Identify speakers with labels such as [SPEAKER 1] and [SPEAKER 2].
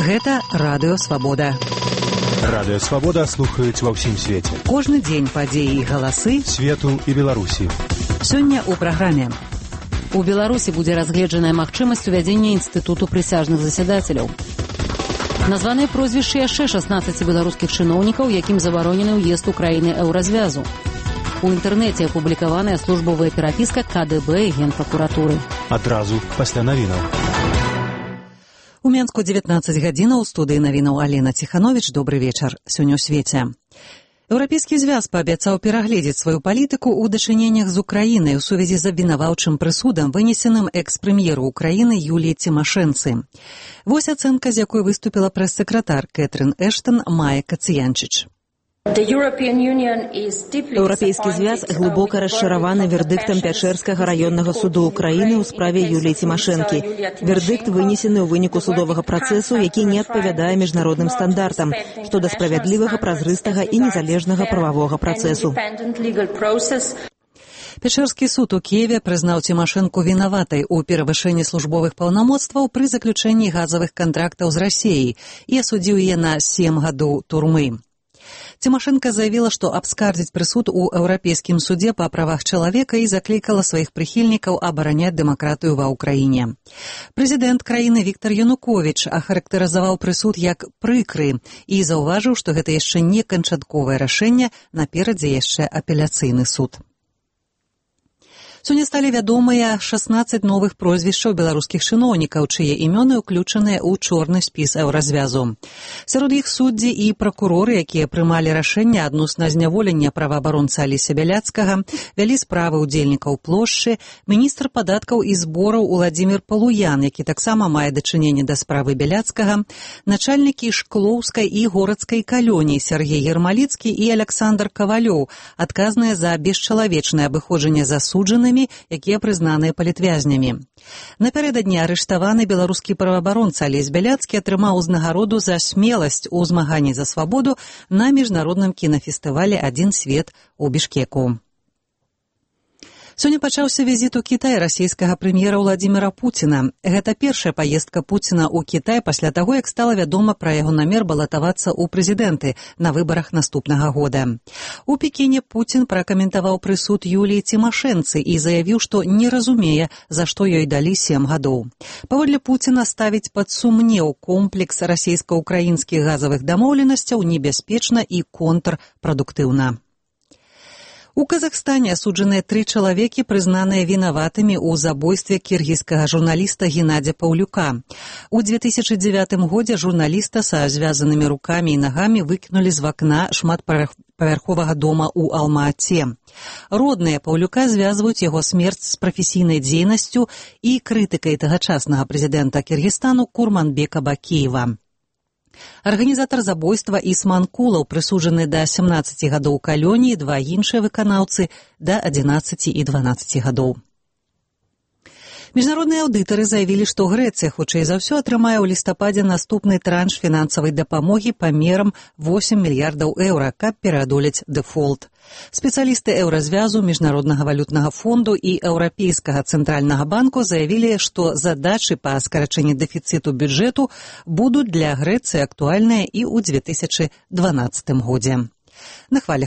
[SPEAKER 1] Гэта Радыё Свабода.
[SPEAKER 2] Радыё Свабода слухаюць ва ўсім свеце.
[SPEAKER 1] Кожны дзень падзеі і галасы
[SPEAKER 2] свету і Беларусі.
[SPEAKER 1] Сёння ў праграме. У Беларусі будзе разгледжаная магчымасць увядзення інстытуту прысяжных засядацеляў. Названыя прозвішчы яшчэ 16 беларускіх чыноўнікаў, якім забаронены ўезд у краіны еўразвязу. У інтэрнэце апублікаваная службовая перапіска КДБ і Генпракуратуры.
[SPEAKER 2] Адразу пасля навінаў.
[SPEAKER 1] У Менску 19 гадзінаў, у студыі навінаў Алена Ціхановіч. Добры вечар. Сёння ў свеце. Еўрапейскі звяз паабяцаў перагледзець сваю палітыку ў дачыненнях з Украінай у сувязі з абвінаваўчым прысудам, вынесеным экс-прэм'еру Украіны Юліі Цімашэнцы. Вось ацэнка, з якой выступіла прэс-сакратар Кэтрын Эштон Майя Кацыянчыч.
[SPEAKER 3] Еўрапейскі звяз глыбока расчараваны вердыктам Пячэрскага раённага суду Украіны ў справе Юліі Цімашэнкі. Вердыкт вынесены ў выніку судовага працэсу, які не адпавядае міжнародным стандартам, што да справядлівага, празрыстага і незалежнага прававога працэсу.
[SPEAKER 1] Пячэрскі суд у Кіеве прызнаў Цімашэнку вінаватай у перавышэнні службовых паўнамоцтваў пры заключэнні газавых кантрактаў з Расіяй і асудзіў яе на 7 гадоў турмы. Цімашэнка заявіла, што абскардзіць прысуд у Еўрапейскім судзе па правах чалавека і заклікала сваіх прыхільнікаў абараняць дэмакратыю ва ўкраіне. Прэзідэнт краіны Віктар Януковіч ахарактарызаваў прысуд як прыкры і заўважыў, што гэта яшчэ не канчатковае рашэнне, наперадзе яшчэ апеляцыйны суд. Сёння сталі вядомыя 16 новых прозвішчаў беларускіх чыноўнікаў, чые імёны ўключаныя ў чорны спіс еўразвязу. Сярод іх суддзі і пракуроры, якія прымалі рашэнне адносна зняволення праваабаронцы Алеся Бяляцкага, вялі справы ўдзельнікаў плошчы, міністр падаткаў і збораў Уладзімір Палуян, які таксама мае дачыненне да справы Бяляцкага, начальнікі Шклоўскай і Горацкай калоніі Сергей Ермаліцкі і Аляксандр Кавалёў, адказныя за бесчалавечнае абыходжанне засуджанымі, якія прызнаныя палітвязнямі. Напярэдадні арыштаваны беларускі праваабаронца Алесь Бяляцкі атрымаў узнагароду за смеласць у змаганні за свабоду на міжнародным кінафестывалі «Адзін свет» у Бішкеку. Сёння пачаўся візіт у Кітай расійскага прэм'ера Ўладзіміра Пуціна. Гэта першая паездка Пуціна ў Кітай пасля таго, як стала вядома пра яго намер балатавацца ў прэзідэнты на выбарах наступнага года. У Пекіне Пуцін пракаментаваў прысуд Юліі Цімашэнцы і заявіў, што не разумее, за што ёй далі 7 гадоў. Паводле Пуціна ставіць пад сумнеў комплекс расійска-ўкраінскіх газавых дамоўленасцяў небяспечна і контрпрадуктыўна. У Казахстане асуджаныя 3 чалавекі, прызнаныя вінаватымі ў забойстве кіргізскага журналіста Геннадзя Паўлюка. У 2009 годзе журналіста са звязанымі рукамі і нагамі выкінулі з вакна шматпавярховага дома ў Алма-Ате. Родныя Паўлюка звязваюць яго смерць з прафесійнай дзейнасцю і крытыкай тагачаснага прэзідэнта Кіргізстану Курманбека Бакеева. Арганізатар забойства Ісман Кулаў прысуджаны да 17 гадоў калоніі, 2 іншыя выканаўцы да 11 і 12 гадоў. Міжнародныя аўдытары заявілі, што Грэцыя хутчэй за ўсё атрымае ў лістападзе наступны транш фінансавай дапамогі памерам 8 мільярдаў еўра, каб пераадолець дэфолт. Спецыялісты еўразвязу, Міжнароднага валютнага фонду і Еўрапейскага цэнтральнага банку заявілі, што задачы па скарачэнні дэфіцыту бюджэту будуць для Грэцыі актуальныя і ў 2012 годзе. На хвалях